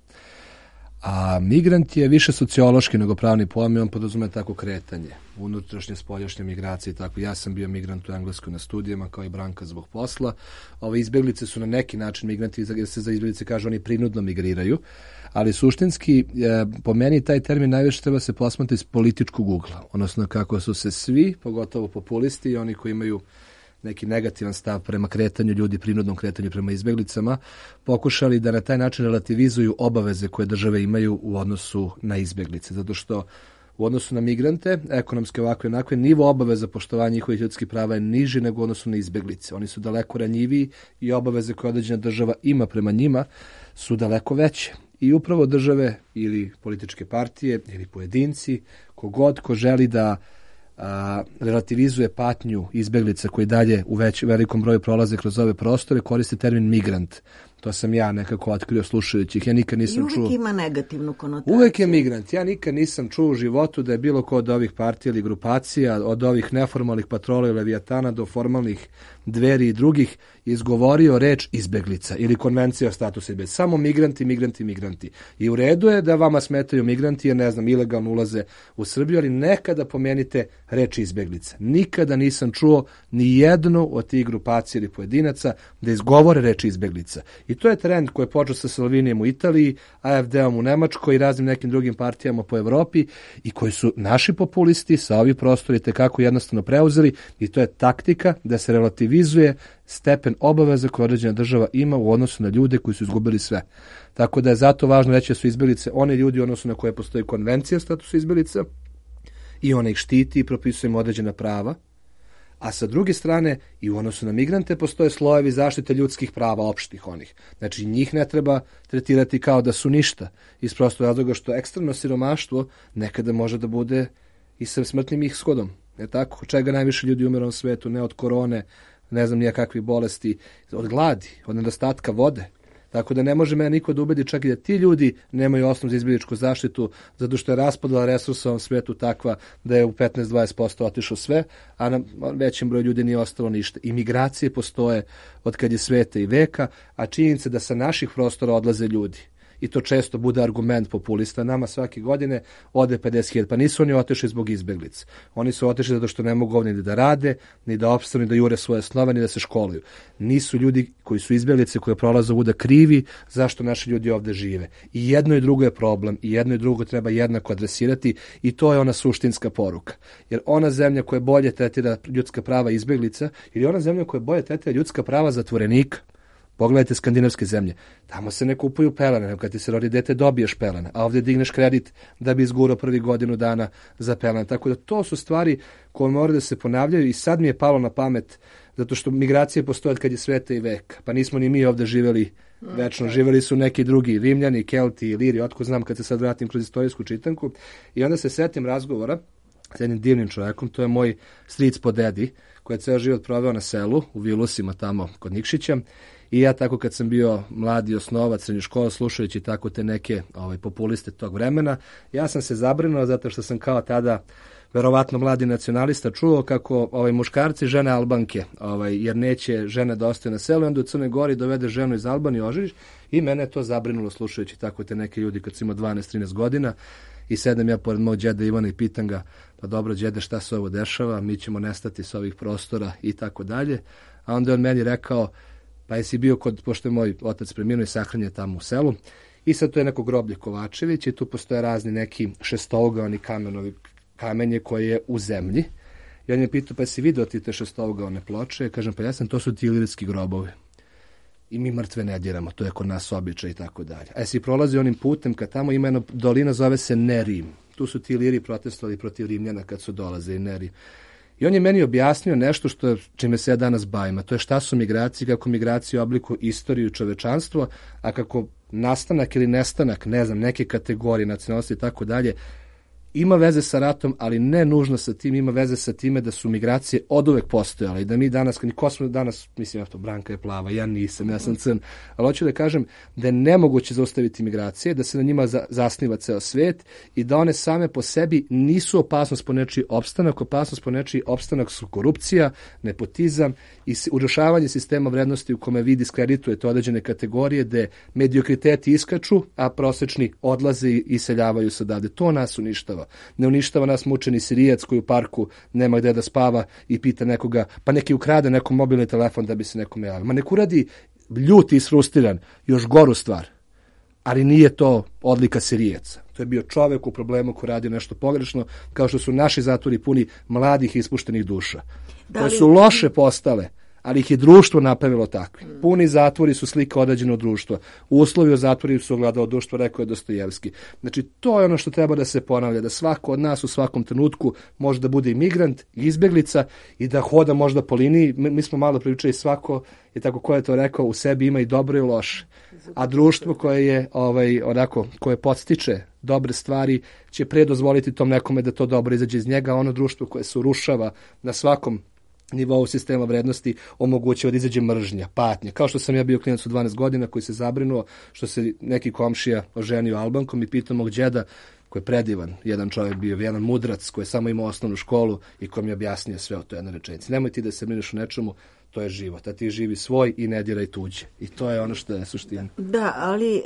A migrant je više sociološki nego pravni pojam i on podrazume tako kretanje, unutrašnje, spoljašnje migracije i tako. Ja sam bio migrant u Engleskoj na studijama kao i Branka zbog posla. Ove izbeglice su na neki način migranti, jer se za izbeglice kaže oni prinudno migriraju, ali suštinski po meni taj termin najviše treba se posmatrati iz političkog ugla, odnosno kako su se svi, pogotovo populisti i oni koji imaju neki negativan stav prema kretanju ljudi, prinudnom kretanju prema izbeglicama, pokušali da na taj način relativizuju obaveze koje države imaju u odnosu na izbeglice. Zato što u odnosu na migrante, ekonomske ovakve onakve, nivo obaveza poštovanja njihovih ljudskih prava je niži nego u odnosu na izbeglice. Oni su daleko ranjiviji i obaveze koje određena država ima prema njima su daleko veće. I upravo države ili političke partije ili pojedinci, kogod ko želi da a, relativizuje patnju izbeglica koji dalje u već, velikom broju prolaze kroz ove prostore, koriste termin migrant. To sam ja nekako otkrio slušajući ih. Ja nikad nisam I uvijek čuo... ima negativnu konotaciju. Uvijek je migrant. Ja nikad nisam čuo u životu da je bilo ko od ovih partija ili grupacija, od ovih neformalnih patrola i Leviatana do formalnih Dveri i drugih izgovorio reč izbeglica ili konvencija o statusu izbeglica. Samo migranti, migranti, migranti. I u redu je da vama smetaju migranti jer, ne znam, ilegalno ulaze u Srbiju, ali nekada pomenite reč izbeglica. Nikada nisam čuo ni jednu od tih grupacija ili pojedinaca da izgovore reč izbeglica. I to je trend koji je počeo sa Salvinijem u Italiji, A F D-om u Nemačkoj i raznim nekim drugim partijama po Evropi i koji su naši populisti sa ovih prostora tekako jednostavno preuzeli i to je taktika da se relativizuje stepen obaveza koje određena država ima u odnosu na ljude koji su izgubili sve. Tako da je zato važno reći da su izbeglice one ljudi u odnosu na koje postoji konvencija o statusu izbeglica i ona ih štiti i propisuje im određena prava. A sa druge strane, i u odnosu na migrante postoje slojevi zaštite ljudskih prava, opštih onih. Znači, njih ne treba tretirati kao da su ništa. Iz prostog razloga što ekstremno siromaštvo nekada može da bude i sa smrtnim ishodom. Je tako? Od čega najviše ljudi umira u svetu? Ne od korone, ne znam nija kakvih bolesti, od gladi, od nedostatka vode. Tako da ne može me niko da ubedi čak i da ti ljudi nemaju osnov za izbjegličku zaštitu, zato što je raspodela resursa u ovom svetu takva da je u petnaest do dvadeset posto otišlo sve, a na većem broju ljudi nije ostalo ništa. I migracije postoje od kad je sveta i veka, a činjenica da sa naših prostora odlaze ljudi i to često bude argument populista. Nama svake godine ode pedeset hiljada. Pa nisu oni otišli zbog izbeglica. Oni su otišli zato što ne mogu ovdje ni da rade, ni da opstanu, ni da jure svoje snove, ni da se školuju. Nisu ljudi koji su izbeglice, koje prolaze ovuda krivi zašto naši ljudi ovdje žive. I jedno i drugo je problem, i jedno i drugo treba jednako adresirati, i to je ona suštinska poruka. Jer ona zemlja koja bolje tretira ljudska prava izbeglica, ili ona zemlja koja bolje tretira ljudska prava zatvorenika. Pogledajte skandinavske zemlje. Tamo se ne kupuju pelene, nego kad ti se rodi dete dobiješ pelene, a ovdje digneš kredit da bi izgurao prvi godinu dana za pelene. Tako da to su stvari koje moraju da se ponavljaju i sad mi je palo na pamet, zato što migracije postoje od kad je sveta i veka. Pa nismo ni mi ovdje živjeli večno, živjeli su neki drugi, Rimljani, Kelti, Iliri, otko znam kad se sad vratim kroz istorijsku čitanku. I onda se setim razgovora s jednim divnim čovjekom, to je moj stric po dedi, koji je ceo život proveo na selu, u Vilusima tamo kod Nikšića. I ja tako kad sam bio mladi osnovac srednje škole, slušajući tako te neke ovaj, populiste tog vremena, ja sam se zabrinuo zato što sam kao tada verovatno mladi nacionalista čuo kako ovaj, muškarci žene Albanke, ovaj, jer neće žene da ostaje na selu, i onda u Crnoj Gori dovede ženu iz Albanije, oženiš, i mene je to zabrinulo slušajući tako te neke ljudi kad sam imao dvanaest trinaest godina. I sedem ja pored mog džeda Ivana i pitam ga, pa dobro džede, šta se ovo dešava, mi ćemo nestati s ovih prostora i tako dalje. A onda je on meni rekao, pa jesi bio kod, pošto je moj otac preminuo i sahranjen tamo u selu, i sad to je neko groblje Kovačević i tu postoje razni neki šestougaoni kamenovi kamenje koje je u zemlji. I on je pitao, pa jesi vidio ti te šestougaone ploče? Kažem, pa ja sam, to su ti ilirski grobovi. I mi mrtve ne diramo, to je kod nas običaj i tako dalje. A jesi prolazi onim putem, kad tamo ima jedna dolina, zove se Nerim. Tu su ti Iliri protestovali protiv Rimljana kad su dolaze i Nerim. I on je meni objasnio nešto što čime se ja danas bavim, a to je šta su migracije, kako migracije oblikuju istoriju čovečanstva, a kako nastanak ili nestanak, ne znam, neke kategorije, nacionalnosti i tako dalje, ima veze sa ratom, ali ne nužno sa tim, ima veze sa time da su migracije oduvek postojale i da mi danas, ko smo danas, mislim, ja to, Branka je plava, ja nisam, ja sam crn, ali hoću da kažem da je nemoguće zaustaviti migracije, da se na njima za, zasniva ceo svet i da one same po sebi nisu opasnost po nečiji opstanak, opasnost po nečiji opstanak su korupcija, nepotizam i urušavanje sistema vrednosti u kome vi diskreditujete određene kategorije gde mediokriteti iskaču, a prosečni odlaze i iseljavaju se odavde. To nas uništava. Ne uništava nas mučeni Sirijac koji u parku nema gde da spava i pita nekoga, pa neki ukrade nekom mobilni telefon da bi se nekome javio. Ma nek uradi ljut i isfrustiran još goru stvar, ali nije to odlika Sirijaca. To je bio čovek u problemu koji radi nešto pogrešno, kao što su naši zatvori puni mladih ispuštenih duša, da li... koje su loše postale, ali ih je društvo napravilo takvi. Puni zatvori su slika određenog društva. Uslovi o zatvorima su ogledalo društvo, rekao je Dostojevski. Znači, to je ono što treba da se ponavlja, da svako od nas u svakom trenutku može da bude imigrant, izbjeglica i da hoda možda po liniji. Mi, mi smo malo pričali, svako je tako ko je to rekao, u sebi ima i dobro i loše. A društvo koje je ovaj onako koje podstiče dobre stvari će pre dozvoliti tom nekome da to dobro izađe iz njega, a ono društvo koje se urušava na svakom nivou sistema vrednosti omogućava da izađe mržnja, patnja. Kao što sam ja bio klinac u dvanaest godina koji se zabrinuo što se neki komšija oženio Albankom i pitao mog džeda, koji je predivan, jedan čovjek bio, jedan mudrac koji je samo imao osnovnu školu i koji mi je objasnio sve o toj jednoj rečenici. Nemoj ti da se brineš o nečemu, to je život, a ti živi svoj i ne diraj tuđe. I to je ono što je suština. Da, ali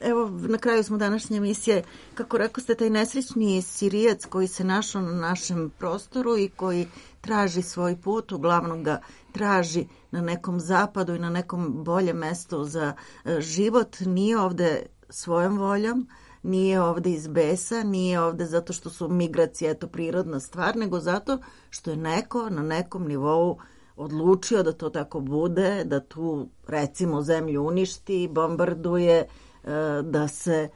evo na kraju smo današnje emisije, kako rekao ste, taj nesrećni Sirijac koji se našao na našem prostoru i koji traži svoj put, uglavnom ga traži na nekom zapadu i na nekom boljem mestu za život, nije ovde svojom voljom, nije ovde iz besa, nije ovde zato što su migracije eto prirodna stvar, nego zato što je neko na nekom nivou odlučio da to tako bude, da tu recimo zemlju uništi, bombarduje, da se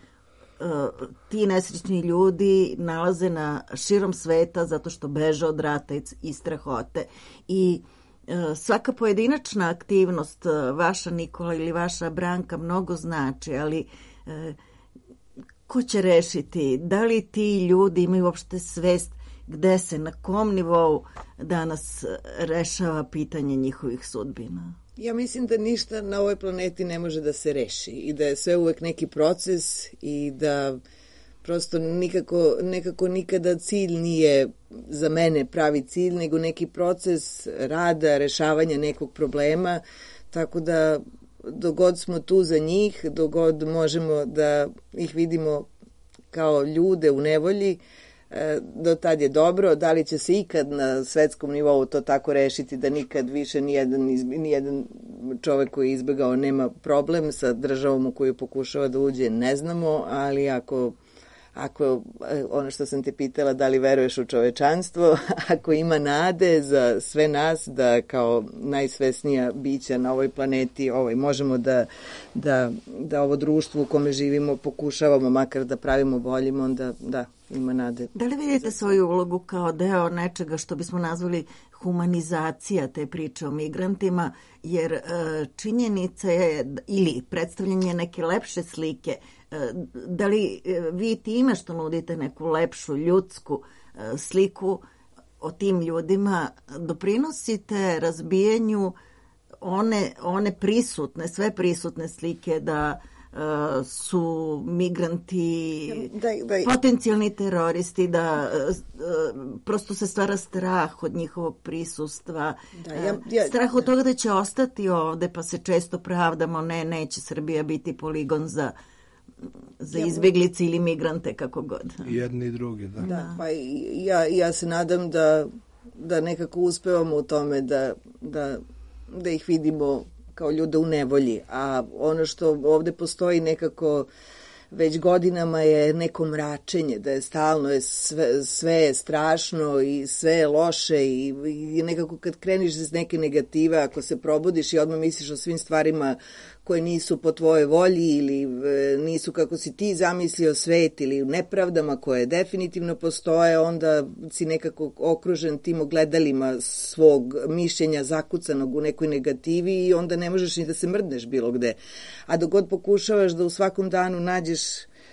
ti nesrećni ljudi nalaze na širom sveta zato što beže od rata i strahote. I svaka pojedinačna aktivnost, vaša Nikola ili vaša Branka, mnogo znači, ali ko će rešiti? Da li ti ljudi imaju uopšte svest gde se, na kom nivou danas rešava pitanje njihovih sudbina? Ja mislim da ništa na ovoj planeti ne može da se reši i da je sve uvek neki proces i da prosto nikako, nekako nikada cilj nije za mene pravi cilj, nego neki proces rada, rešavanja nekog problema, tako da dogod smo tu za njih, dogod možemo da ih vidimo kao ljude u nevolji, do tad je dobro. Da li će se ikad na svetskom nivou to tako rešiti da nikad više nijedan, nijedan čovek koji je izbegao nema problem sa državom u koju pokušava da uđe, ne znamo, ali ako ako, ono što sam te pitala, da li veruješ u čovečanstvo, ako ima nade za sve nas da kao najsvesnija bića na ovoj planeti ovaj, možemo da, da, da ovo društvo u kome živimo pokušavamo makar da pravimo boljim, onda da, ima nade. Da li vidite svoju ulogu kao deo nečega što bismo nazvali humanizacija te priče o migrantima, jer e, činjenica je, ili predstavljanje neke lepše slike, e, da li e, vi time što nudite neku lepšu ljudsku e, sliku o tim ljudima doprinosite razbijanju one, one prisutne, sve prisutne slike da Uh, su migranti da, da, potencijalni teroristi, da uh, uh, prosto se stvara strah od njihovog prisustva, da, ja, ja, strah od toga da će ostati ovde, pa se često pravdamo, ne, neće Srbija biti poligon za za ja, izbeglice ili migrante, kako god. Jedni i drugi, da. Da, pa ja, ja se nadam da, da nekako uspevamo u tome da, da, da ih vidimo kao ljude u nevolji, a ono što ovde postoji nekako već godinama je neko mračenje, da je stalno je sve, sve je strašno i sve je loše i, i nekako kad kreniš iz neke negative, ako se probudiš i odmah misliš o svim stvarima koje nisu po tvojoj volji ili e, nisu kako si ti zamislio svet ili nepravdama koje definitivno postoje, onda si nekako okružen tim ogledalima svog mišljenja zakucanog u nekoj negativi i onda ne možeš ni da se mrdneš bilo gde. A dok god pokušavaš da u svakom danu nađeš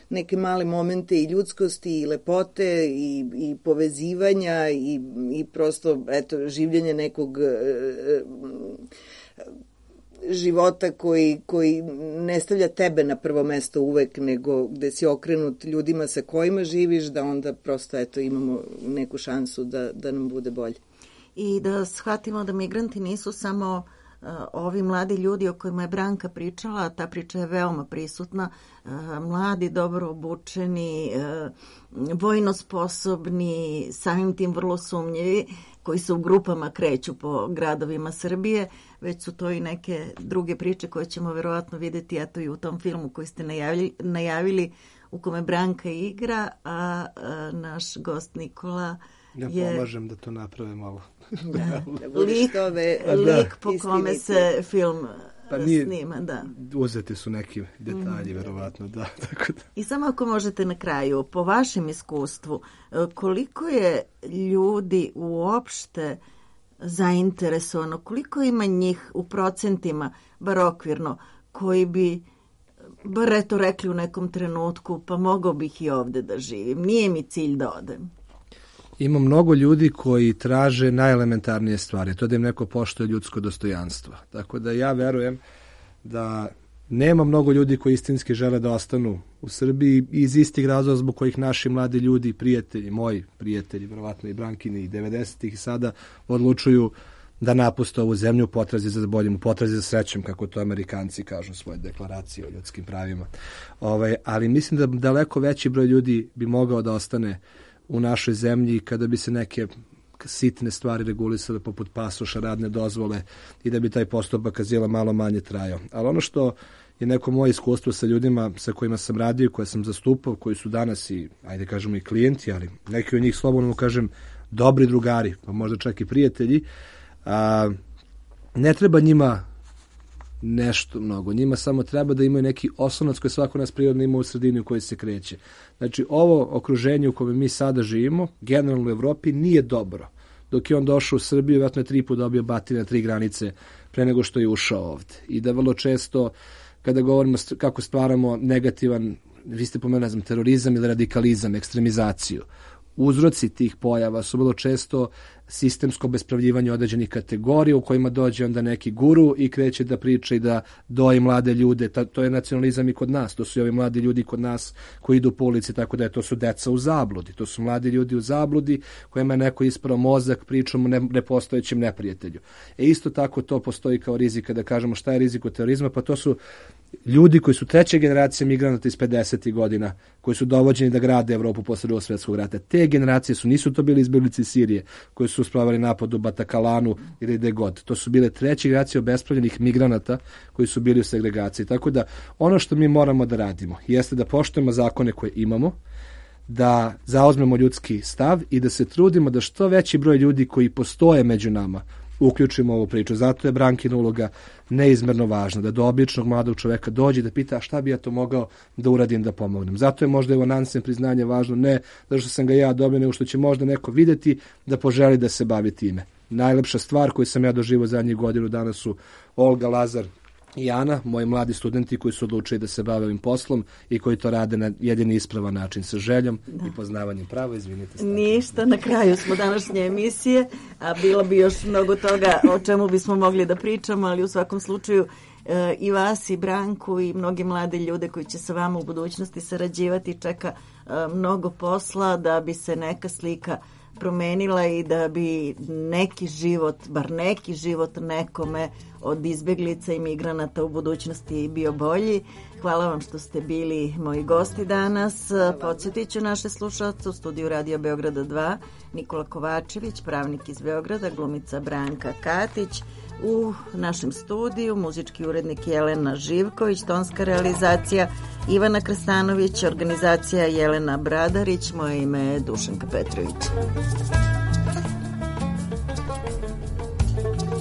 neke male momente i ljudskosti i lepote i, i povezivanja i, i prosto eto, življenje nekog e, e, života koji, koji ne stavlja tebe na prvo mesto uvek, nego gde si okrenut ljudima sa kojima živiš, da onda prosto eto, imamo neku šansu da, da nam bude bolje. I da shvatimo da migranti nisu samo uh, ovi mladi ljudi o kojima je Branka pričala, ta priča je veoma prisutna, uh, mladi, dobro obučeni, uh, vojno sposobni, samim tim vrlo sumnjivi, koji se u grupama kreću po gradovima Srbije, već su to i neke druge priče koje ćemo verovatno videti eto i u tom filmu koji ste najavili, najavili u kome Branka igra, a, a naš gost Nikola ja je... pomažem da to naprave malo. Da, lik, lik po kome se film pa nije, snima, da. Uzeti su neki detalji, mm. verovatno, da, tako da. I samo ako možete na kraju, po vašem iskustvu, koliko je ljudi uopšte zainteresovano, koliko ima njih u procentima, bar okvirno, koji bi bar eto rekli u nekom trenutku, pa mogao bih i ovde da živim, nije mi cilj da odem. Ima mnogo ljudi koji traže najelementarnije stvari, to da im neko poštuje ljudsko dostojanstvo. Tako da ja verujem da nema mnogo ljudi koji istinski žele da ostanu u Srbiji iz istih razloga zbog kojih naši mladi ljudi, prijatelji, moji prijatelji, verovatno i Brankini i devedesetih i sada odlučuju da napuste ovu zemlju u potrazi za boljim, u potrazi za srećom, kako to Amerikanci kažu u svojoj deklaraciji o ljudskim pravima. Ovaj, ali mislim da daleko veći broj ljudi bi mogao da ostane u našoj zemlji kada bi se neke sitne stvari regulisale poput pasoša, radne dozvole i da bi taj postupak azila malo manje trajao. Ali ono što je neko moje iskustvo sa ljudima sa kojima sam radio, koje sam zastupao, koji su danas i, ajde kažemo, i klijenti, ali neki od njih, slobodno kažem, dobri drugari, pa možda čak i prijatelji, a, ne treba njima nešto mnogo. Njima samo treba da imaju neki osnovac koji svako nas prirodno ima u sredini u kojoj se kreće. Znači, ovo okruženje u kojem mi sada živimo, generalno u Evropi, nije dobro. Dok je on došao u Srbiju, vjerojatno je tri put dobio batine na tri granice pre nego što je ušao ovde. I da vrlo često, kada govorimo kako stvaramo negativan, vi ste pomenuli, ne znam, terorizam ili radikalizam, ekstremizaciju, uzroci tih pojava su vrlo često sistemsko bespravljivanje određenih kategorija u kojima dođe onda neki guru i kreće da priča i da doji mlade ljude. Ta, to je nacionalizam i kod nas. To su i ovi mladi ljudi kod nas koji idu po ulici, tako da je to su deca u zabludi. To su mladi ljudi u zabludi kojima je neko isprao mozak pričom o ne, nepostojećem neprijatelju. E isto tako to postoji kao rizik. Kada kažemo šta je rizik od terorizma, pa to su ljudi koji su treća generacija migranata iz pedesetih godina, koji su dovođeni da grade Evropu posle Drugog svjetskog rata. Te generacije su, nisu to bili izbjeglice iz Sirije, koji su spravili napad u Batakalanu ili gde god. To su bile treće generacije obespravljenih migranata koji su bili u segregaciji. Tako da ono što mi moramo da radimo jeste da poštujemo zakone koje imamo, da zauzmemo ljudski stav i da se trudimo da što veći broj ljudi koji postoje među nama uključimo ovu priču. Zato je Brankina uloga neizmerno važna, da do običnog mladog čoveka dođe da pita šta bi ja to mogao da uradim da pomognem. Zato je možda evo Nansen priznanje važno, ne zato što sam ga ja dobio, nego što će možda neko videti da poželi da se bavi time. Najlepša stvar koju sam ja doživio zadnjih godinu dana su Olga, Lazar i Ana, moji mladi studenti koji su odlučili da se bave ovim poslom i koji to rade na jedini ispravan način, sa željom da. I poznavanjem prava. Izvinite. Stavljamo. Ništa, na kraju smo današnje emisije, a bilo bi još mnogo toga o čemu bismo mogli da pričamo, ali u svakom slučaju e, i vas i Branku i mnogi mlade ljude koji će sa vama u budućnosti sarađivati čeka e, mnogo posla da bi se neka slika promenila i da bi neki život, bar neki život nekome od izbjeglica i migranata u budućnosti bio bolji. Hvala vam što ste bili moji gosti danas. Podsjetit ću naše slušalce u studiju Radio Beograda dva, Nikola Kovačević, pravnik iz Beograda, glumica Branka Katić, u našem studiju muzički urednik Jelena Živković, tonska realizacija Ivana Krstanović, organizacija Jelena Bradarić, moje ime je Dušanka Petrović. Thank you.